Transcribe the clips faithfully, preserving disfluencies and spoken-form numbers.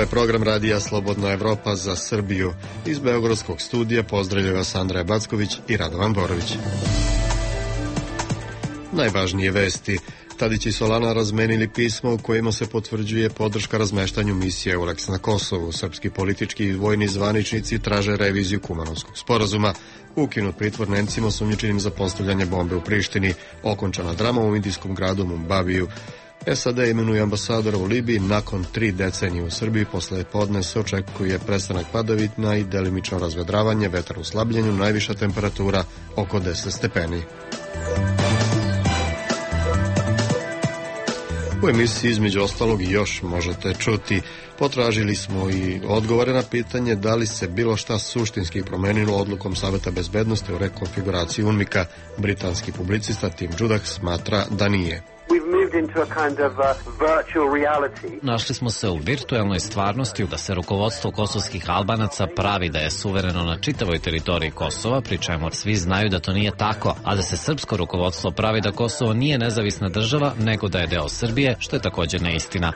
Ovo je program Radija Slobodna Evropa za Srbiju. Iz Beogradskog studija pozdravljaju vas Andreja Backović i Radovan Borović. Najvažnije vesti. Tadić i Solana razmenili pismo u kojima se potvrđuje podrška razmeštanju misije EULEX na Kosovu. Srpski politički i vojni zvaničnici traže reviziju Kumanovskog sporazuma. Ukinut pritvor Nemcima osumnjičenim za postavljanje bombe u Prištini. Okončana drama u indijskom gradu Mumbabiju. S A D imenuje ambasadora u Libiji nakon tri decenije u Srbiji. Posle podne se očekuje prestanak padavina i delimično razvedravanje, vetar u slabljenju, najviša temperatura oko deset stepeni. U emisiji između ostalog još možete čuti. Potražili smo i odgovore na pitanje da li se bilo šta suštinski promenilo odlukom Saveta bezbednosti o rekonfiguraciji UNMIK-a. Britanski publicista Tim Judah smatra da nije. Našli smo se u virtuelnoj stvarnosti da se rukovodstvo kosovskih Albanaca pravi da je suvereno na čitavoj teritoriji Kosova, pri čemu svi znaju da to nije tako, a da se srpsko rukovodstvo pravi da Kosovo nije nezavisna država, nego da je deo Srbije, što je također neistina.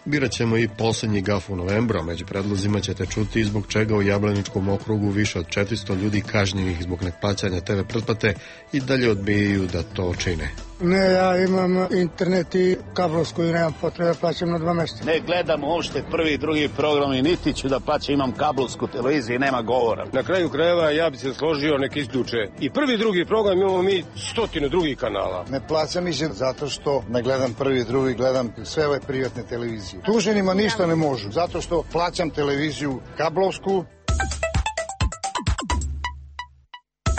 Birat ćemo i posljednji gaf u novembru, a među predlozima ćete čuti zbog čega u Jablaničkom okrugu više od četiristo ljudi kažnjenih zbog neplaćanja te ve pretplate i dalje odbijaju da to čine. Ne, ja imam internet i kablovsku i nemam potrebe da plaćam na dva mjeseca. Ne gledam uopšte prvi i drugi program i niti ću da plaćam, imam kablovsku televiziju i nema govora. Na kraju krajeva ja bi se složio nek isključe i prvi i drugi program, imamo mi stotinu drugih kanala. Ne plaćam ih zato što ne gledam prvi i drugi, gledam sve ove privatne televizije. Tuženima ništa ne možu, zato što plaćam televiziju kablovsku.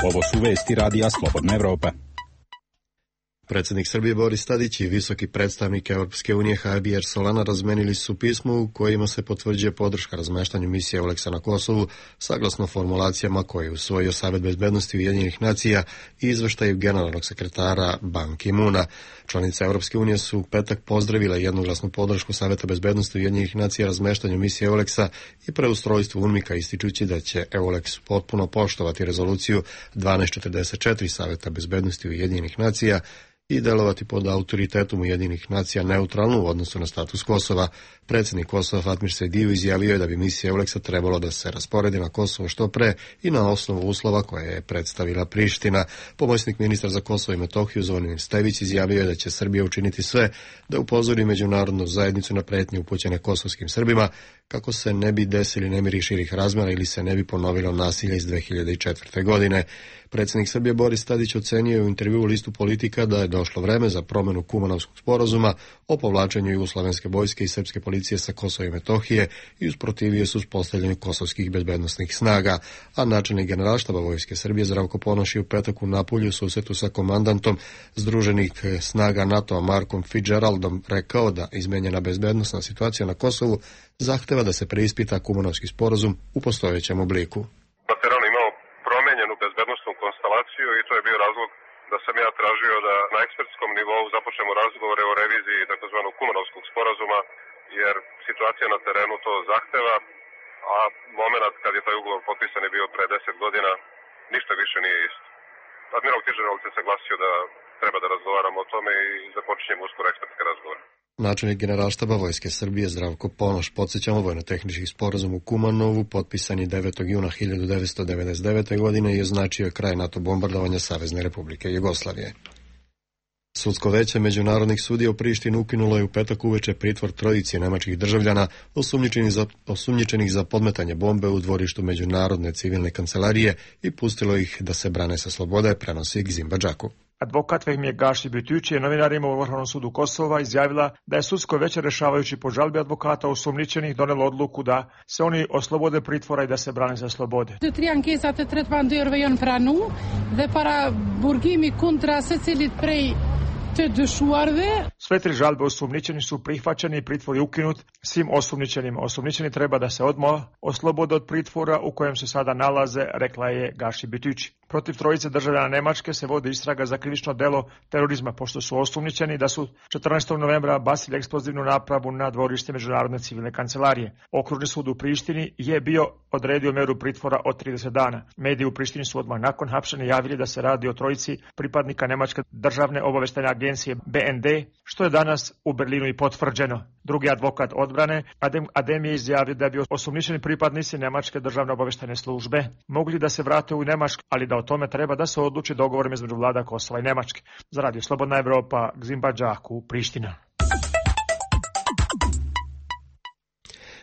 Ovo su vesti Radija Slobodna Evropa. Predsjednik Srbije Boris Tadić i visoki predstavnik Europske unije Javier Solana razmenili su pismo u kojima se potvrđuje podrška razmeštanju misije EULEX na Kosovu, saglasno formulacijama koje je usvojio Savet bezbednosti Ujedinjenih nacija i izveštaju generalnog sekretara Ban Ki-moona. Članice Europske unije su u petak pozdravile jednoglasnu podršku Saveta bezbednosti Ujedinjenih nacija razmeštanju misije EULEX-a i preustrojstvu UNMIK-a, ističući da će EULEX potpuno poštovati rezoluciju dvanaest četrdeset četiri Saveta bezbednosti Ujedinjenih nacija i delovati pod autoritetom Ujedinjenih nacija neutralno u odnosu na status Kosova. Predsjednik Kosova Fatmir Sejdiu izjavio je da bi misija EULEX-a trebalo da se rasporedi na Kosovo što pre i na osnovu uslova koje je predstavila Priština. Pomoćnik ministra za Kosovo i Metohiju Zvonimir Stević izjavio je da će Srbija učiniti sve da upozori međunarodnu zajednicu na pretnje upućene kosovskim Srbima kako se ne bi desili nemiri širih razmjera ili se ne bi ponovilo nasilje iz dve hiljade četvrte. godine. Predsjednik Srbije Boris Tadić ocenio je u intervjuu u listu Politika da je došlo vreme za promjenu Kumanovskog sporazuma o povlačenju jugoslovenske vojske i srpske policije sa Kosova i Metohije i usprotivio se uspostavljanju kosovskih bezbednosnih snaga, a načelnik generalštaba Vojske Srbije Zdravko Ponoš je u petak u Napulju u susretu sa komandantom Združenih snaga NATO-a Markom Fitzgeraldom rekao da izmenjena bezbednosna situacija na Kosovu zahteva da se preispita Kumanovski sporazum u postojećem obliku. Konstelaciju i to je bio razlog da sam ja tražio da na ekspertskom nivou započnemo razgovore o reviziji takozvanog Kumanovskog sporazuma, jer situacija na terenu to zahteva, a moment kad je taj ugovor potpisan je bio pre deset godina, ništa više nije isto. Admiral Fitzgerald se saglasio da treba da razgovaramo o tome i započinjemo uskoro ekspertske razgovore. Načelnik generalštaba Vojske Srbije Zdravko Ponoš, podsjećamo, vojno-tehnički sporazum u Kumanovu, potpisan je devetog juna hiljadu devetsto devedeset devete. godine i označio kraj NATO bombardovanja Savezne Republike Jugoslavije. Sudsko veće međunarodnih sudija u Prištini ukinulo je u petak uveče pritvor trojici nemačkih državljana osumnjičenih za, osumnjičenih za podmetanje bombe u dvorištu Međunarodne civilne kancelarije i pustilo ih da se brane sa slobode, prenosi Gzimba Džaku. Advokat Vehmir Gaši Bitić je novinarima u Vrhovnom sudu Kosova izjavila da je sudsko veće rešavajući po žalbi advokata osumnjičenih donelo odluku da se oni oslobode pritvora i da se brane za slobode. Të tri ankesat e tretëmbëdhjetëve janë pranuar dhe para burgimi kundra secilit prej të dyshuarve. Sve tri žalbe osumnjičeni su prihvaćeni i pritvor je ukinut svim osumnjičenima. Osumnjičeni treba da se odmah oslobode od pritvora u kojem se sada nalaze, rekla je Gaši Bitić. Protiv trojice državljana Nemačke se vodi istraga za krivično delo terorizma, pošto su osumnjičeni da su četrnaestog novembra bacili eksplozivnu napravu na dvorište Međunarodne civilne kancelarije. Okružni sud u Prištini je bio odredio meru pritvora od trideset dana. Mediji u Prištini su odmah nakon hapšenja javili da se radi o trojici pripadnika Nemačke državne obaveštajne agencije B N D, što je danas u Berlinu i potvrđeno. Drugi advokat odbrane, Adem, Adem je izjavio da bi osumnjičeni pripadnici Nemačke državne obaveštajne službe mogli da se vrate u Nemačku, ali da o tome treba da se odluči dogovorom između vlada Kosova i Nemačke. Za Radio Slobodna Evropa, Gzimba Đaku, Priština.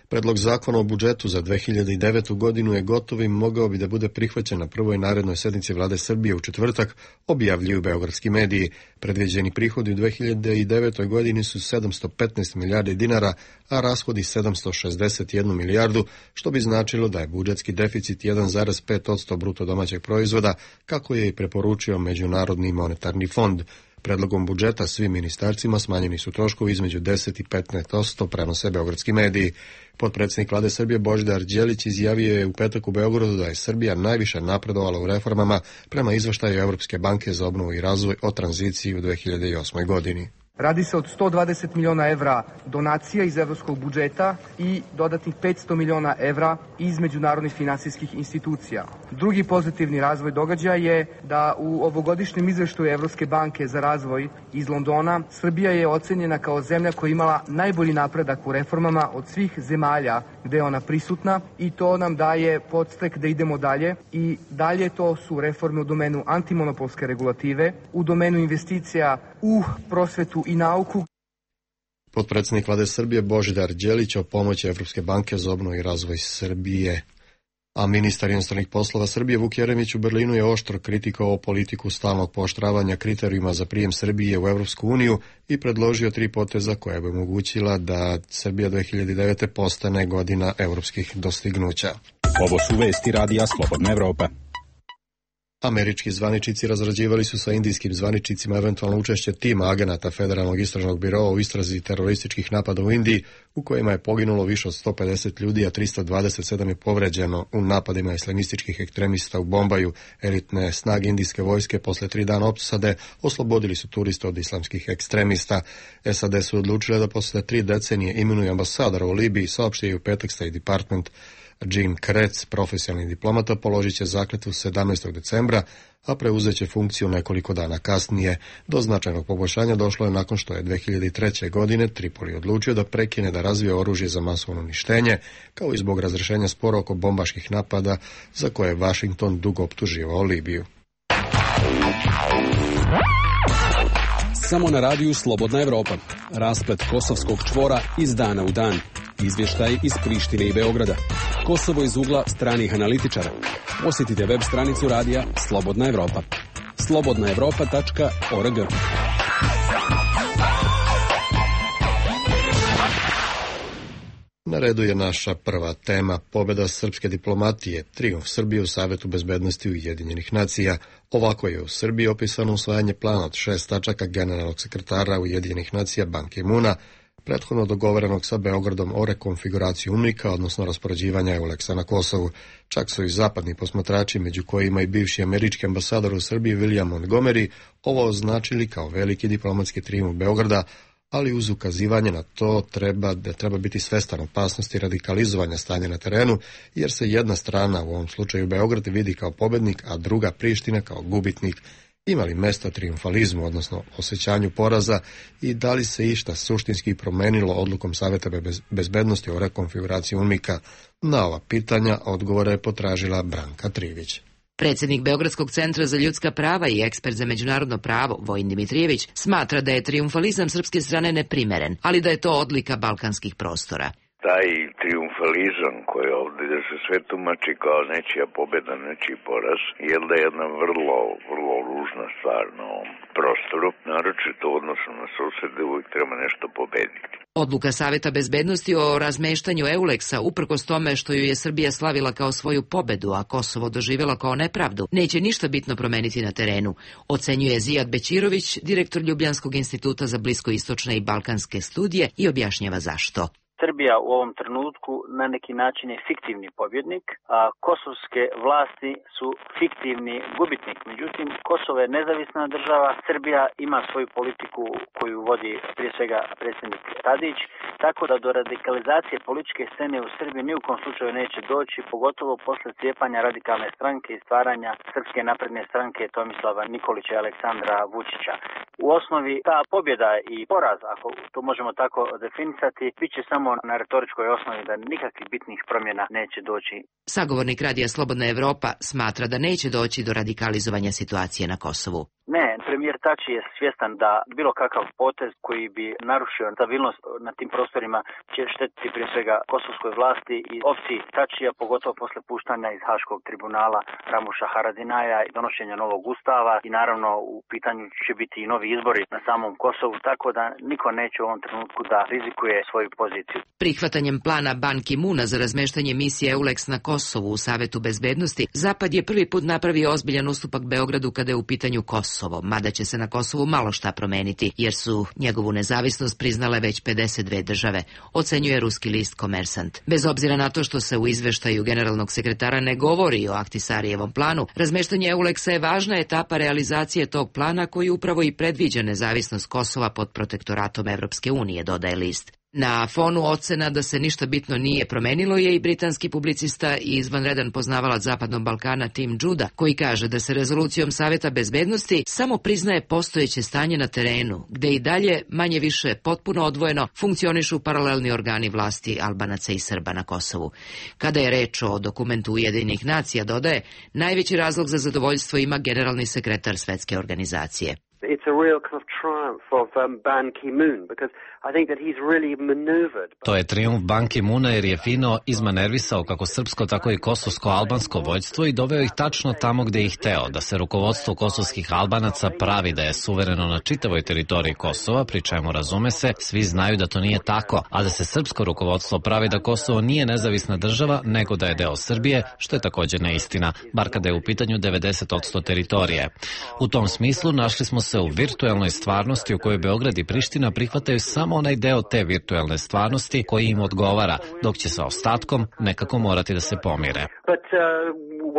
Predlog zakona o budžetu za dve hiljade devetu godinu je gotov i mogao bi da bude prihvaćen na prvoj narednoj sednici vlade Srbije u četvrtak, objavljuju beogradski mediji. Predviđeni prihodi u dve hiljade devetoj godini su sedamsto petnaest milijardi dinara, a rashodi sedamsto šezdeset jednu milijardu, što bi značilo da je budžetski deficit jedan zarez pet posto bruto domaćeg proizvoda, kako je i preporučio Međunarodni monetarni fond. Predlogom budžeta svim ministarstvima smanjeni su troškovi između deset i petnaest posto, prenose beogradski mediji. Potpredsjednik vlade Srbije Božidar Đelić izjavio je u petak u Beogradu da je Srbija najviše napredovala u reformama prema izveštaju Evropske banke za obnovu i razvoj o tranziciji u dve hiljade osmoj godini. Radi se od sto dvadeset miliona evra donacija iz evropskog budžeta i dodatnih petsto miliona evra iz međunarodnih finansijskih institucija. Drugi pozitivni razvoj događaja je da u ovogodišnjem izveštaju Evropske banke za razvoj iz Londona Srbija je ocenjena kao zemlja koja je imala najbolji napredak u reformama od svih zemalja gde je ona prisutna i to nam daje podstek da idemo dalje i dalje to su reforme u domenu antimonopolske regulative, u domenu investicija u prosvetu i nauku. Potpredsjednik vlade Srbije Božidar Đelić o pomoći Evropske banke za obnovu i razvoj Srbije. A ministar inostranih poslova Srbije Vuk Jeremić u Berlinu je oštro kritikovao politiku stalnog pooštravanja kriterijuma za prijem Srbije u Evropsku uniju i predložio tri poteza koja bi omogućila da Srbija dve hiljade devete postane godina evropskih dostignuća. Ovo su vesti Radija Slobodna Evropa. Američki zvaničnici razrađivali su sa indijskim zvaničnicima eventualno učešće tima agenata Federalnog istražnog biroa u istrazi terorističkih napada u Indiji, u kojima je poginulo više od sto pedeset ljudi, a tristo dvadeset sedam je povređeno u napadima islamističkih ekstremista u Bombaju. Elitne snage indijske vojske posle tri dana opsade oslobodili su turiste od islamskih ekstremista. S A D su odlučile da posle tri decenije imenuju ambasadora u Libiji, saopštio je u petak State Department. Jim Kretz, profesionalni diplomata, položit će zakletvu sedamnaestog decembra, a preuzet će funkciju nekoliko dana kasnije. Do značajnog poboljšanja došlo je nakon što je dve hiljade treće. godine Tripoli odlučio da prekine da razvije oružje za masovno uništenje, kao i zbog razrešenja spora oko bombaških napada za koje je Washington dugo optuživao Libiju. Samo na radiju Slobodna Evropa. Rasplet kosovskog čvora iz dana u dan. Izvještaj iz Prištine i Beograda. Kosovo iz ugla stranih analitičara. Posjetite web stranicu radija Slobodna Evropa. slobodna evropa tačka org. Na redu je naša prva tema, pobjeda srpske diplomatije, trijumf Srbije u Savetu bezbednosti Ujedinjenih nacija. Ovako je u Srbiji opisano usvajanje plana od šest tačaka generalnog sekretara Ujedinjenih nacija Ban Ki-moona, prethodno dogovorenog sa Beogradom o rekonfiguraciji UNMIK-a, odnosno raspoređivanja EULEX-a na Kosovu. Čak su i zapadni posmatrači, među kojima i bivši američki ambasador u Srbiji William Montgomery, ovo označili kao veliki diplomatski trijumf Beograda, ali uz ukazivanje na to treba da treba biti svestan opasnosti radikalizovanja stanja na terenu, jer se jedna strana, u ovom slučaju Beograd, vidi kao pobednik, a druga Priština kao gubitnik. Ima li mesta trijumfalizmu, odnosno osjećanju poraza, i da li se išta suštinski promenilo odlukom Saveta bezbednosti o rekonfiguraciji UNMIK-a? Na ova pitanja odgovore je potražila Branka Trivić. Predsjednik Beogradskog centra za ljudska prava i ekspert za međunarodno pravo, Vojin Dimitrijević, smatra da je trijumfalizam srpske strane neprimeren, ali da je to odlika balkanskih prostora. Taj trijumfalizam koji ovdje da se sve tumači kao nečija pobjeda, nečiji poraz, je da je jedna vrlo, vrlo ružna stvar na ovom prostoru, naročito u odnosu na susede, uvijek treba nešto pobediti. Odluka Saveta bezbednosti o razmeštanju EULEX-a, uprkos tome što ju je Srbija slavila kao svoju pobedu, a Kosovo doživjela kao nepravdu, neće ništa bitno promeniti na terenu, ocenjuje Zijad Bećirović, direktor Ljubljanskog instituta za bliskoistočne i balkanske studije, i objašnjava zašto. Srbija u ovom trenutku na neki način je fiktivni pobjednik, a kosovske vlasti su fiktivni gubitnik. Međutim, Kosovo je nezavisna država, Srbija ima svoju politiku koju vodi prije svega predsjednik Tadić, tako da do radikalizacije političke scene u Srbiji ni u kom slučaju neće doći, pogotovo posle cijepanja radikalne stranke i stvaranja Srpske napredne stranke Tomislava Nikolića i Aleksandra Vučića. U osnovi ta pobjeda i poraz, ako to možemo tako definisati, bit će samo na retoričkoj osnovi da nikakvih bitnih promjena neće doći. Sagovornik Radija Slobodna Evropa smatra da neće doći do radikalizovanja situacije na Kosovu. Ne, premijer Tači je svjestan da bilo kakav potez koji bi narušio stabilnost na tim prostorima će štetiti prije svega kosovskoj vlasti i opciji Tačija, pogotovo posle puštanja iz Haškog tribunala Ramuša Haradinaja i donošenja novog ustava i naravno u pitanju će biti i novi izbori na samom Kosovu, tako da niko neće u ovom trenutku da rizikuje svoju poziciju. Prihvatanjem plana Ban Ki-muna za razmeštanje misije EULEX na Kosovu u Savetu bezbednosti, Zapad je prvi put napravio ozbiljan ustupak Beogradu kada je u pitanju Kosovo, mada će se na Kosovu malo šta promeniti, jer su njegovu nezavisnost priznale već pedeset dve države, ocenjuje ruski list Komersant. Bez obzira na to što se u izveštaju generalnog sekretara ne govori o Ahtisarijevom planu, razmeštanje EULEX-a je važna etapa realizacije tog plana koji upravo i predviđa nezavisnost Kosova pod protektoratom Evropske unije, dodaje list. Na fonu ocena da se ništa bitno nije promenilo je i britanski publicista i izvanredan poznavalac Zapadnog Balkana Tim Juda, koji kaže da se rezolucijom Saveta bezbednosti samo priznaje postojeće stanje na terenu, gde i dalje, manje više potpuno odvojeno, funkcionišu paralelni organi vlasti Albanaca i Srba na Kosovu. Kada je reč o dokumentu Ujedinjenih nacija, dodaje, najveći razlog za zadovoljstvo ima generalni sekretar Svetske organizacije. It's a real kind of triumph of um, Ban Ki-moon because I think that he's really maneuvered. To je trijumf Ban Ki-moona jer je fino izmanervisao kako srpsko tako i kosovsko-albansko vođstvo i doveo ih tačno tamo gde ih hteo, da se rukovodstvo kosovskih Albanaca pravi da je suvereno na čitavoj teritoriji Kosova, pri čemu razume se, svi znaju da to nije tako, a da se srpsko rukovodstvo pravi da Kosovo nije nezavisna država, nego da je deo Srbije, što je također neistina, bar kada je u pitanju devedeset posto teritorije. U tom smislu našli smo se u virtuelnoj stvarnosti u kojoj Beograd i Priština prihvataju samo onaj deo te virtuelne stvarnosti koji im odgovara, dok će sa ostatkom nekako morati da se pomire. But uh,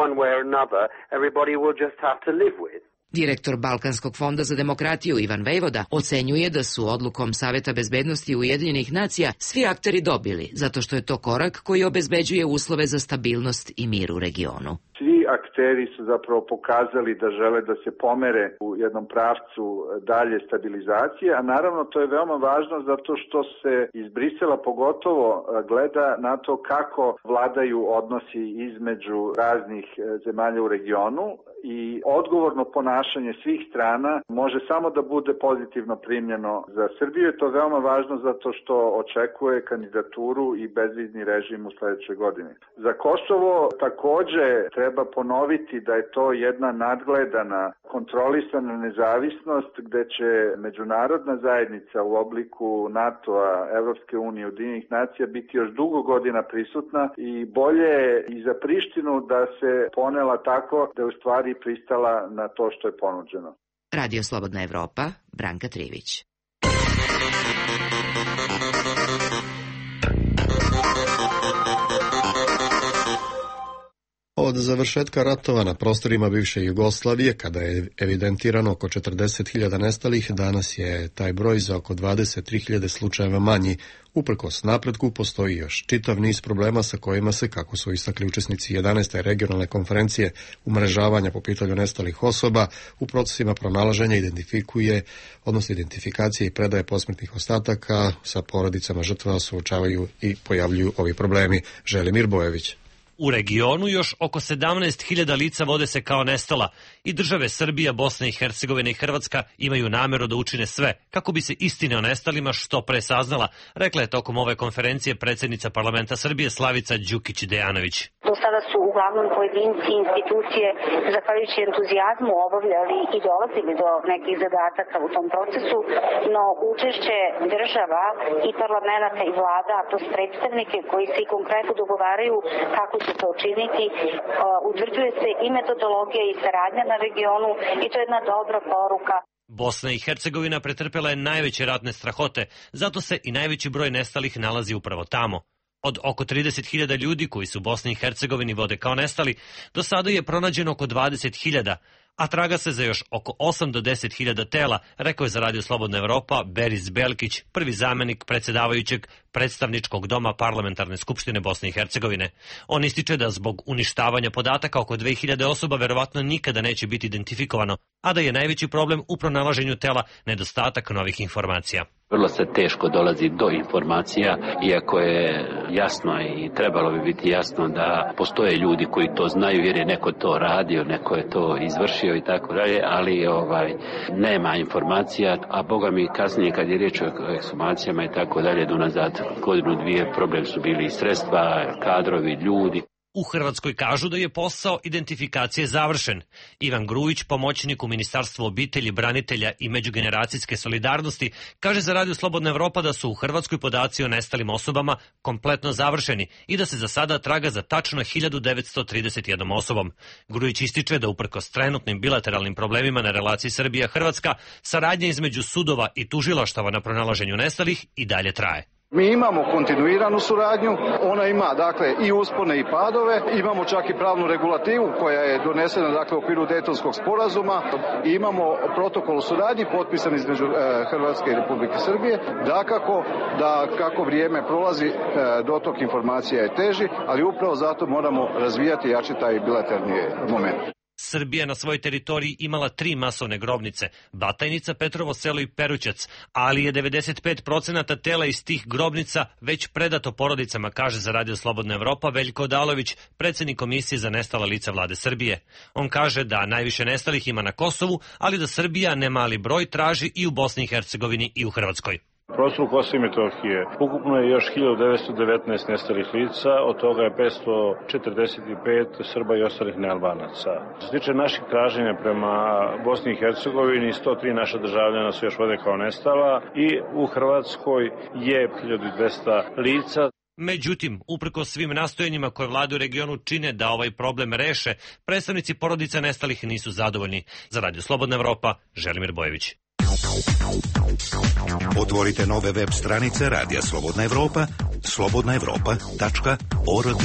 one way or another, everybody will just have to live with. Direktor Balkanskog fonda za demokratiju Ivan Vejvoda ocenjuje da su odlukom Saveta bezbednosti Ujedinjenih nacija svi akteri dobili, zato što je to korak koji obezbeđuje uslove za stabilnost i mir u regionu. Svi akteri su zapravo pokazali da žele da se pomere u jednom pravcu dalje stabilizacije, a naravno to je veoma važno zato što se iz Brisela pogotovo gleda na to kako vladaju odnosi između raznih zemalja u regionu i odgovorno ponašanje svih strana može samo da bude pozitivno primljeno za Srbiju. Je to veoma važno zato što očekuje kandidaturu i bezvizni režim u sledećoj godini. Za Kosovo takođe treba ponoviti da je to jedna nadgledana, kontrolisana nezavisnost gde će međunarodna zajednica u obliku NATO-a, Evropske unije, Ujedinjenih nacija biti još dugo godina prisutna i bolje je i za Prištinu da se ponela tako da je u stvari pristala na to što je ponuđeno. Radio Slobodna Evropa, Branka Trivić. Od završetka ratova na prostorima bivše Jugoslavije, kada je evidentirano oko četrdeset hiljada nestalih, danas je taj broj za oko dvadeset tri hiljade slučajeva manji. Uprkos napretku postoji još čitav niz problema sa kojima se, kako su istakli učesnici jedanaeste regionalne konferencije umrežavanja po pitanju nestalih osoba, u procesima pronalaženja identifikuje, odnosno identifikacije i predaje posmrtnih ostataka sa porodicama žrtava suočavaju i pojavljuju ovi problemi. Želimir Bojević. U regionu još oko sedamnaest hiljada lica vode se kao nestala i države Srbija, Bosna i Hercegovina i Hrvatska imaju nameru da učine sve kako bi se istine o nestalima što pre saznala, rekla je tokom ove konferencije predsjednica parlamenta Srbije Slavica Đukić-Dejanović. Do sada su uglavnom pojedinci i institucije, zahvaljujući entuzijazmu, obavljali i dolazili do nekih zadataka u tom procesu, no učešće država i parlamenta i vlada, a to predstavnike koji se i konkretno dogovaraju kako će to učiniti, utvrđuje se i metodologija i saradnja na regionu i to je jedna dobra poruka. Bosna i Hercegovina pretrpela je najveće ratne strahote, zato se i najveći broj nestalih nalazi upravo tamo. Od oko trideset hiljada ljudi koji su u Bosni i Hercegovini vode kao nestali, do sada je pronađeno oko dvadeset hiljada, a traga se za još oko osam do deset hiljada tela, rekao je za Radio Slobodna Evropa Beris Belkić, prvi zamenik predsjedavajućeg predstavničkog doma Parlamentarne skupštine Bosne i Hercegovine. On ističe da zbog uništavanja podataka oko dve hiljade osoba verovatno nikada neće biti identifikovano, a da je najveći problem u pronalaženju tela nedostatak novih informacija. Vrlo se teško dolazi do informacija, iako je jasno i trebalo bi biti jasno da postoje ljudi koji to znaju jer je neko to radio, neko je to izvršio i tako dalje, ali ovaj nema informacija, a boga mi kasnije kad je riječ o ekshumacijama i tako dalje, do nazad godinu dvije problem su bili i sredstva, kadrovi, ljudi. U Hrvatskoj kažu da je posao identifikacije završen. Ivan Grujić, pomoćnik u Ministarstvu obitelji, branitelja i međugeneracijske solidarnosti, kaže za Radio Slobodna Evropa da su u Hrvatskoj podaci o nestalim osobama kompletno završeni i da se za sada traga za tačno hiljadu devetsto trideset jednom osobom. Grujić ističe da uprkos trenutnim bilateralnim problemima na relaciji Srbija-Hrvatska, saradnja između sudova i tužilaštava na pronalaženju nestalih i dalje traje. Mi imamo kontinuiranu suradnju, ona ima dakle i uspone i padove, imamo čak i pravnu regulativu koja je donesena dakle u okviru Dejtonskog sporazuma i imamo protokol o suradnji potpisan između e, Hrvatske i Republike Srbije. Dakako da kako vrijeme prolazi e, dotok informacija je teži, ali upravo zato moramo razvijati i jačiti taj bilateralni moment. Srbija na svojoj teritoriji imala tri masovne grobnice, Batajnica, Petrovo selo i Perućac, ali je devedeset pet procenata tela iz tih grobnica već predato porodicama, kaže za Radio Slobodna Evropa Veljko Odalović, predsjednik Komisije za nestala lica vlade Srbije. On kaže da najviše nestalih ima na Kosovu, ali da Srbija nemali broj traži i u Bosni i Hercegovini i u Hrvatskoj. U prostoru Kosova i Metohije ukupno je još hiljadu devetsto devetnaest nestalih lica, od toga je petsto četrdeset pet Srba i ostalih nealbanaca. Što se tiče naših traženja prema Bosni i Hercegovini, sto tri naša državljana su još vode kao nestala i u Hrvatskoj je hiljadu dvesta lica. Međutim, uprko svim nastojanjima koje vlade u regionu čine da ovaj problem reše, predstavnici porodica nestalih nisu zadovoljni. Za Radio Slobodna Evropa, Želimir Bojević. Otvorite nove web stranice Radija Slobodna Evropa, slobodna evropa tačka org.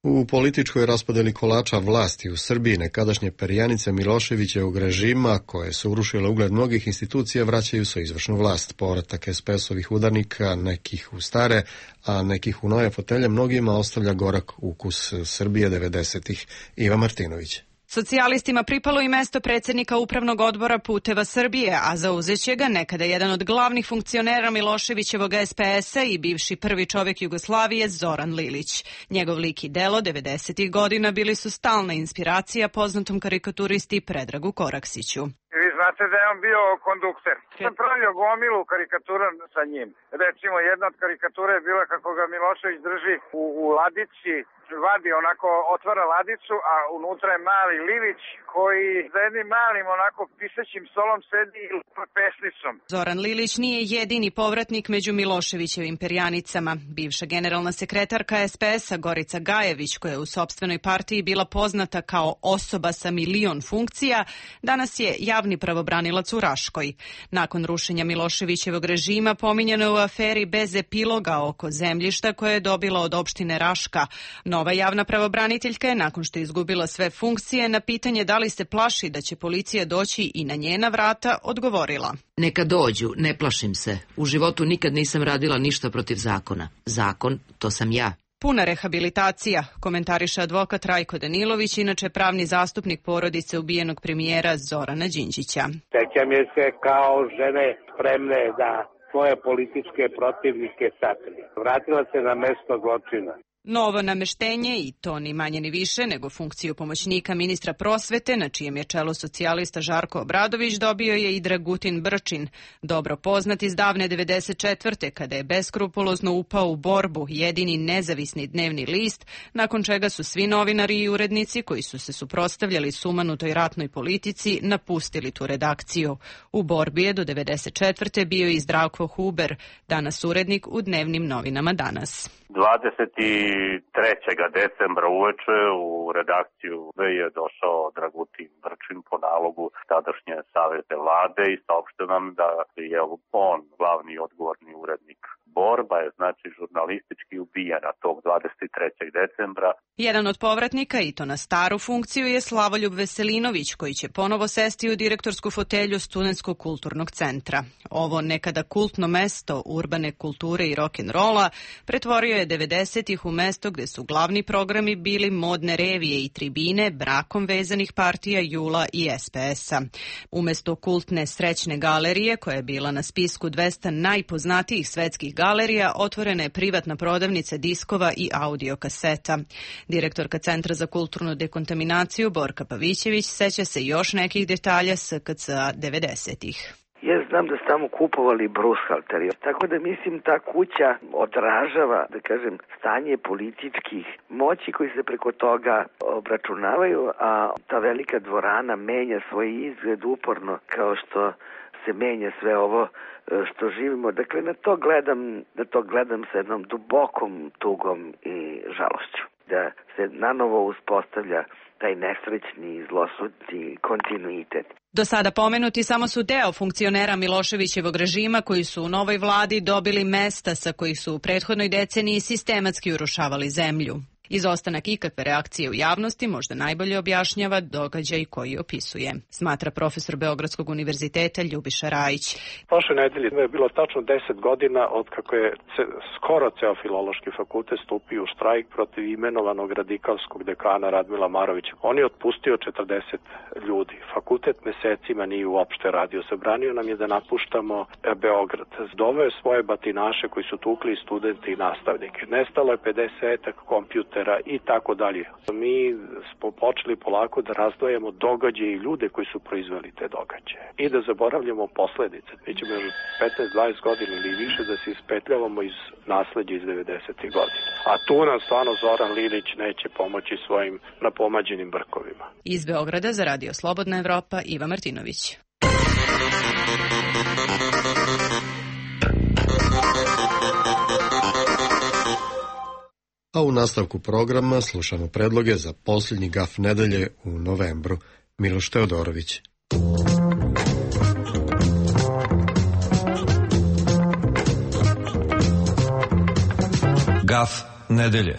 U političkoj raspodeli kolača vlasti u Srbiji nekadašnje perjanice Miloševićevog režima, koje su urušile ugled mnogih institucija, vraćaju se izvršnu vlast. Povratak es pe esovih udarnika, nekih u stare, a nekih u nove fotelje, mnogima ostavlja gorak ukus Srbije devedesetih. Iva Martinović. Socijalistima pripalo i mesto predsjednika Upravnog odbora Puteva Srbije, a zauzeće ga nekada jedan od glavnih funkcionera Miloševićevog es pe esa i bivši prvi čovjek Jugoslavije Zoran Lilić. Njegov lik i delo devedesetih godina bili su stalna inspiracija poznatom karikaturisti Predragu Koraksiću. Vi znate da je on bio kondukter. Sam pravio gomilu karikatura sa njim. Recimo, jedna od karikatura je bila kako ga Milošević drži u, u ladici, vadi onako, otvara ladicu, a unutra je mali Lilić koji za jednim malim onako pisaćim stolom sedi i lupa pesnicom. Zoran Lilić nije jedini povratnik među Miloševićevim perjanicama. Bivša generalna sekretarka es pe esa Gorica Gajević, koja je u sopstvenoj partiji bila poznata kao osoba sa milion funkcija, danas je javni pravobranilac u Raškoj. Nakon rušenja Miloševićevog režima pominjeno je u aferi bez epiloga oko zemljišta koje je dobila od opštine Raška. Nova javna pravobraniteljka je, nakon što je izgubila sve funkcije, na pitanje da li se plaši da će policija doći i na njena vrata, odgovorila: Neka dođu, ne plašim se. U životu nikad nisam radila ništa protiv zakona. Zakon, to sam ja. Puna rehabilitacija, komentariše advokat Rajko Danilović, inače pravni zastupnik porodice ubijenog premijera Zorana Đinđića. Sećam je se kao žene spremne da svoje političke protivnike sakrije. Vratila se na mesto zločina. Novo nameštenje, i to ni manje ni više nego funkciju pomoćnika ministra prosvete, na čijem je čelu socijalista Žarko Obradović, dobio je i Dragutin Brčin, dobro poznat iz davne devedeset četvrte kada je beskrupulozno upao u Borbu, jedini nezavisni dnevni list, nakon čega su svi novinari i urednici koji su se suprotstavljali sumanutoj ratnoj politici napustili tu redakciju. U Borbi je do devedeset četvrte bio i Zdravko Huber, danas urednik u dnevnim novinama Danas. dvadeset trećeg decembra uveče u redakciju je došao Dragutin Brčin po nalogu tadašnje savezne vlade i saopštio nam da je on glavni odgovorni urednik. Borba je znači žurnalistički ubijena tog dvadeset trećeg decembra. Jedan od povratnika, i to na staru funkciju, je Slavoljub Veselinović, koji će ponovo sesti u direktorsku fotelju Studentskog kulturnog centra. Ovo nekada kultno mesto urbane kulture i rock'n'rolla pretvorio je devedesetih u mesto gde su glavni programi bili modne revije i tribine brakom vezanih partija Jula i es pe es-a. Umesto kultne Srećne galerije, koja je bila na spisku dvesta najpoznatijih svetskih galerija, otvorena je privatna prodavnica diskova i audio kaseta. Direktorka Centra za kulturnu dekontaminaciju Borka Pavićević seća se još nekih detalja S K C-a devedesetih. Ja znam da su tamo kupovali brushalteri, tako da mislim ta kuća odražava, da kažem, stanje političkih moći koji se preko toga obračunavaju, a ta velika dvorana menja svoj izgled uporno kao što se menja sve ovo što živimo. Dakle, na to gledam, na to gledam sa jednom dubokom tugom i žalošću. Da se nanovo uspostavlja taj nesrećni i zlosudni kontinuitet. Do sada pomenuti samo su deo funkcionera Miloševićevog režima koji su u novoj vladi dobili mesta sa kojih su u prethodnoj deceniji sistematski urušavali zemlju. Izostanak ikakve reakcije u javnosti možda najbolje objašnjava događaj koji opisuje, smatra profesor Beogradskog univerziteta Ljubiša Rajić. Prošle nedelje je bilo tačno deset godina od kako je skoro ceo Filološki fakultet stupio u štrajk protiv imenovanog radikalskog dekana Radmila Marovića. On je otpustio četrdeset ljudi. Fakultet mesecima nije uopšte radio. Zabranio nam je da napuštamo Beograd. Doveo je svoje batinaše koji su tukli studente i nastavnike. Nestalo je pedesetak kompjutera i tako dalje. Mi smo počeli polako da razdvajamo događaje i ljude koji su proizveli te događaje i da zaboravljamo posledice. Mi ćemo još petnaest dvadeset godina ili više da se ispetljavamo iz nasleđa iz devedesetih godina. A tu nam stvarno Zoran Lilić neće pomoći svojim napomađenim brkovima. Iz Beograda za Radio Slobodna Evropa, Iva Martinović. A u nastavku programa slušamo predloge za posljednji gaf nedelje u novembru. Miloš Teodorović. Gaf nedelje.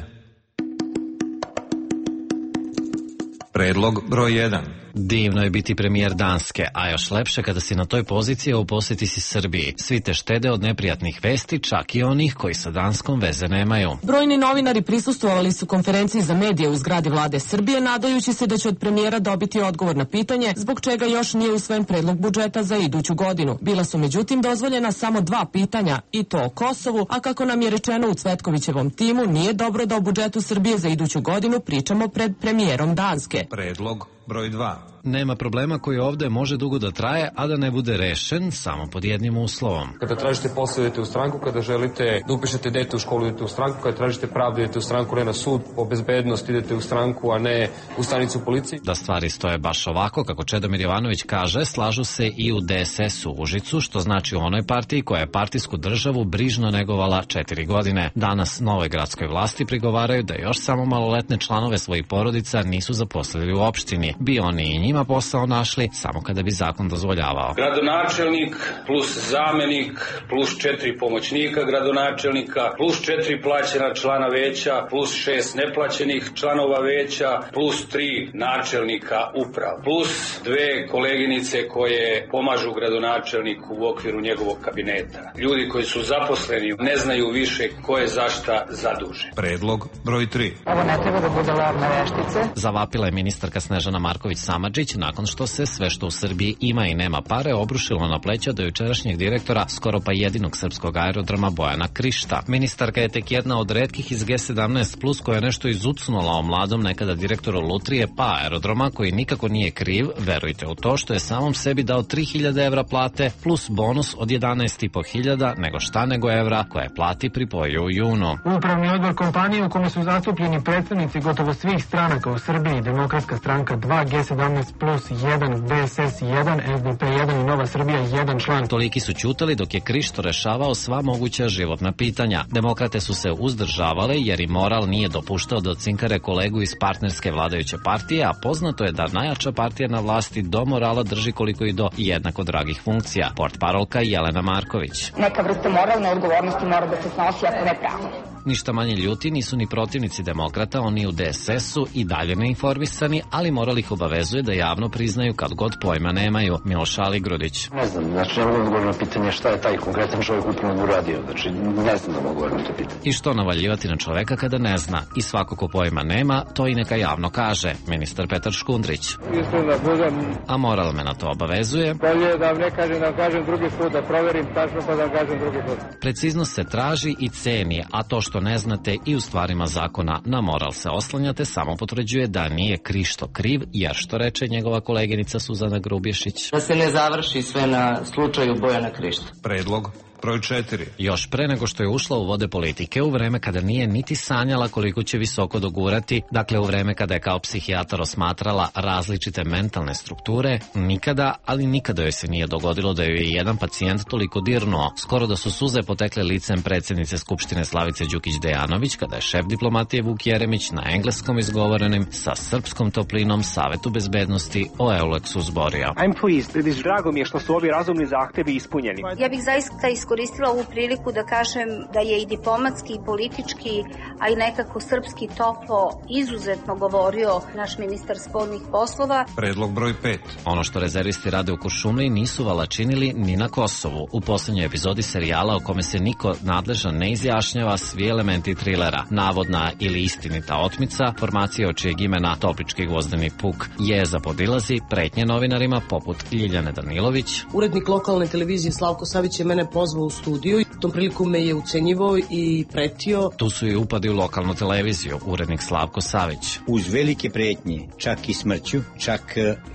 Predlog broj jedan. Divno je biti premijer Danske, a još lepše kada si na toj poziciji, a u posjeti si Srbiji. Svi te štede od neprijatnih vesti, čak i onih koji sa Danskom veze nemaju. Brojni novinari prisustvovali su konferenciji za medije u zgradi vlade Srbije, nadajući se da će od premijera dobiti odgovor na pitanje zbog čega još nije usvojen predlog budžeta za iduću godinu. Bila su međutim dozvoljena samo dva pitanja, i to o Kosovu, a kako nam je rečeno u Cvetkovićevom timu, nije dobro da o budžetu Srbije za iduću godinu pričamo pred premijerom Danske. Predlog broj dva. Nema problema koji ovde može dugo da traje, a da ne bude rešen samo pod jednim uslovom. Kada tražite posao, idete u stranku, kada želite da upišete dete u školu, idete u stranku, kada tražite pravdu, idete u stranku, ne na sud, po bezbednost idete u stranku, a ne u stanicu policije. Da stvari stoje baš ovako, kako Čedomir Jovanović kaže, slažu se i u de es es u Užicu, što znači u onoj partiji koja je partijsku državu brižno negovala četiri godine. Danas novoj gradskoj vlasti prigovaraju da još samo maloletne članove svojih porodica nisu zaposlili u opštini. Bi oni i njima posao našli samo kada bi zakon dozvoljavao. Gradonačelnik plus zamenik plus četiri pomoćnika gradonačelnika plus četiri plaćena člana veća plus šest neplaćenih članova veća plus tri načelnika uprava plus dve koleginice koje pomažu gradonačelniku u okviru njegovog kabineta. Ljudi koji su zaposleni ne znaju više ko je za šta zadužen. Predlog broj tri. Ovo ne treba da bude lavna veštice. Zavapila je ministarka Snežana Marković Samardžić nakon što se sve što u Srbiji ima i nema pare obrušilo na pleća do jučerašnjeg direktora skoro pa jedinog srpskog aerodroma Bojana Krišta. Ministarka je tek jedna od retkih iz G sedamnaest plus koja je nešto izucnula o mladom nekada direktoru Lutrije pa aerodroma koji nikako nije kriv, verujte u to što je samom sebi dao tri hiljade evra plate plus bonus od jedanaest i po hiljada nego šta nego evra koje plati pripojio u junu. Upravni odbor kompanije u kome su zastupljeni predstavnici gotovo svih stranaka u Srbiji, Demokratska stranka dva, G sedamnaest plus jedan, D S S jedan, S D P jedan i Nova Srbija jedan član. Toliki su ćutali dok je Krišto rešavao sva moguća životna pitanja. Demokrate su se uzdržavale jer i moral nije dopuštao da cinkare kolegu iz partnerske vladajuće partije, a poznato je da najjača partija na vlasti do morala drži koliko i do jednako dragih funkcija. Portparolka Jelena Marković. Neka vrsta moralne odgovornosti mora da se snosi, ako ne pravo. Ništa manje ljuti nisu ni protivnici demokrata, oni u D S S-u i dalje neinformisani, ali moral ih obavezuje da javno priznaju kad god pojma nemaju. Miloš Aligrudić. Ne znam, znači ne mogu odgovoriti na pitanje šta je taj konkretan čovjek upravo uradio, znači ne znam da mogu odgovoriti na to pitanje. I što navaljivati na čoveka kada ne zna? I svako ko pojma nema, to i neka javno kaže, ministar Petar Škundrić. Mislim da budem... A moral me na to obavezuje. Bolje da ne kažem, da kažem drugi put, da proverim tačno pa da kažem drugi put. Preciznost se traži i ceni, a to što ne znate i u stvarima zakona na moral se oslanjate samo potvrđuje da nije Krišto kriv, jer što reče njegova koleginica Suzana Grubješić. Da se ne završi sve na slučaju Bojana Krišta. Predlog broj četiri. Još pre nego što je ušla u vode politike, u vreme kada nije niti sanjala koliko će visoko dogurati, dakle u vreme kada je kao psihijatar osmatrala različite mentalne strukture, nikada, ali nikada joj se nije dogodilo da joj je jedan pacijent toliko dirnuo. Skoro da su suze potekle licem predsjednice Skupštine Slavice Đukić-Dejanović, kada je šef diplomatije Vuk Jeremić na engleskom izgovorenim sa srpskom toplinom Savetu bezbednosti o Euleksu zborio. I'm pleased. Drago mi je što su ovi razumni zahtevi ispunjeni. Ja bih zaista iskoristila ovu priliku da kažem da je i diplomatski i politički, a i nekako srpski toplo izuzetno govorio naš ministar spoljnih poslova. Predlog broj pet. Ono što rezervisti rade u Kuršumliji nisu vala činili ni na Kosovu. U poslednjoj epizodi serijala o kome se niko nadležan ne izjašnjava svi elementi trilera. Navodna ili istinita otmica, formacija od čijeg imena Toplički gvozdeni puk je za podilazi, pretnje novinarima poput Ljiljane Danilović. Urednik lokalne televizije Slavko Savić je mene pozvao u studiju i tom priliku me je ucenjivao i pretio. Tu su i upadi u lokalnu televiziju, urednik Slavko Savić. Uz velike pretnje, čak i smrću, čak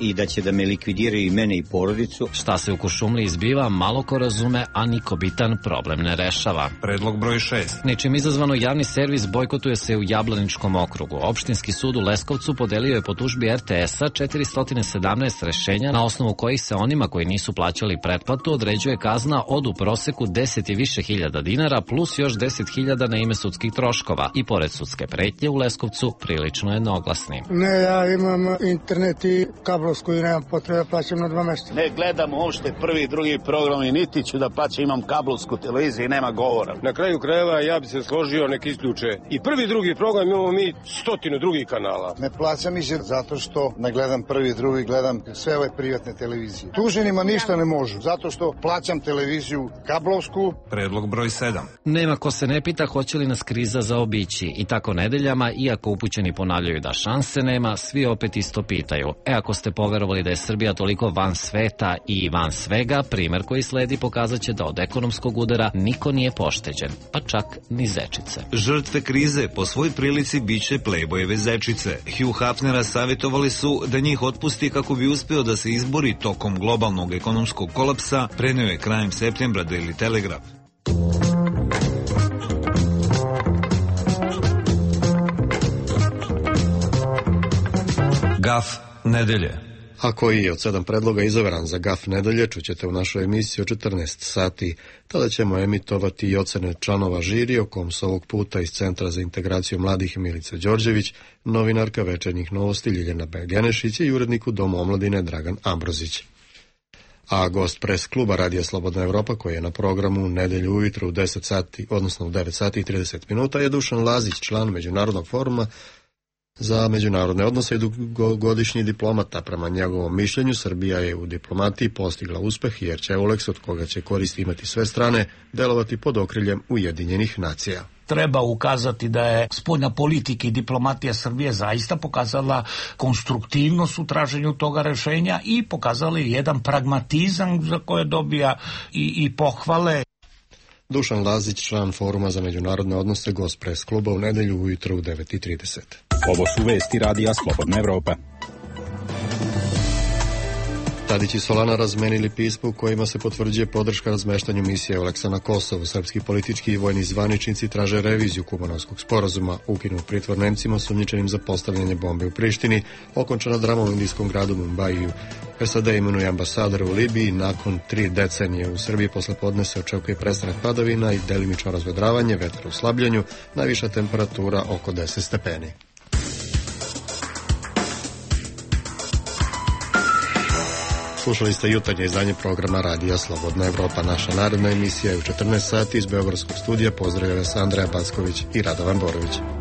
i da će da me likvidiraju i mene i porodicu. Šta se u Kuršumliji izbiva, malo ko razume, a niko bitan problem ne rešava. Predlog broj šest. Ničim izazvano javni servis bojkotuje se u Jablaničkom okrugu. Opštinski sud u Leskovcu podelio je po tužbi R T S-a četiristo sedamnaest rešenja na osnovu kojih se onima koji nisu plaćali pretplatu određuje kazna od u proseku deset i više hiljada dinara plus još deset hiljada na ime sudskih troškova i pored sudske pretnje u Leskovcu prilično jednoglasni. Ne, ja imam internet i kablovsku i nemam potrebe plaćam na dva mesta. Ne gledam uopšte prvi i drugi program i niti ću da plaćam, imam kablovsku televiziju i nema govora. Na kraju krajeva ja bi se složio nek isključe i prvi i drugi program, imamo mi stotinu drugih kanala. Ne plaćam ih zato što ne gledam prvi i drugi, gledam sve ove privatne televizije. Tuženima ništa ne možu, zato što plaćam televiziju kablovsku. Predlog broj sedam. Nema ko se ne pita hoće li nas kriza zaobići i tako nedeljama, iako upućeni ponavljaju da šanse nema, svi opet isto pitaju. E ako ste poverovali da je Srbija toliko van sveta i van svega, primer koji sledi pokazat će da od ekonomskog udara niko nije pošteđen, pa čak ni zečice. Žrtve krize po svoj prilici biće Playboyeve zečice. Hugh Hefnera savjetovali su da njih otpusti kako bi uspeo da se izbori tokom globalnog ekonomskog kolapsa, preneo je krajem septembra Daily Telegraph. Gaf nedelje. A koji je od sedam predloga izabran za Gaf nedelje, čućete u našoj emisiji o četrnaest sati. Tada ćemo emitovati i ocene članova žiri, o kom se ovog puta iz Centra za integraciju mladih Milica Đorđević, novinarka Večernjih novosti Ljiljana Begenešić i urednik u Domu omladine Dragan Ambrozić. A gost pres kluba Radija Slobodna Evropa, koji je na programu nedelju ujutro u deset sati, odnosno u devet sati i trideset minuta, je Dušan Lazić, član Međunarodnog foruma za međunarodne odnose i dugogodišnji diplomata. Prema njegovom mišljenju, Srbija je u diplomatiji postigla uspeh jer će Euleks, od koga će koristi imati sve strane, delovati pod okriljem Ujedinjenih nacija. Treba ukazati da je spoljna politika i diplomatija Srbije zaista pokazala konstruktivnost u traženju toga rešenja i pokazali jedan pragmatizam za koje dobija i, i pohvale. Dušan Lazić, član Foruma za međunarodne odnose, gost pres kluba u nedelju ujutro u devet i trideset. Ovo su vesti Radija Slobodna Evropa. Tadić i Solana razmenili pismo u kojima se potvrđuje podrška razmeštanju misije Euleksa na Kosovu. Srpski politički i vojni zvaničnici traže reviziju Kumanovskog sporazuma, ukinu pritvor Nemcima sumnjičenim za postavljanje bombe u Prištini, okončana drama u indijskom gradu Mumbaiju. S A D imenuje ambasadora u Libiji. Nakon tri decenije u Srbiji posle podne se očekuje prestanak padavina i delimično razvedravanje, vetar u slabljenju, najviša temperatura oko deset stepeni. Slušali ste jutarnje izdanje programa Radija Slobodna Evropa. Naša naredna emisija je u četrnaest sati iz Beogradskog studija. Pozdravljaju vas Andreja Backović i Radovan Borović.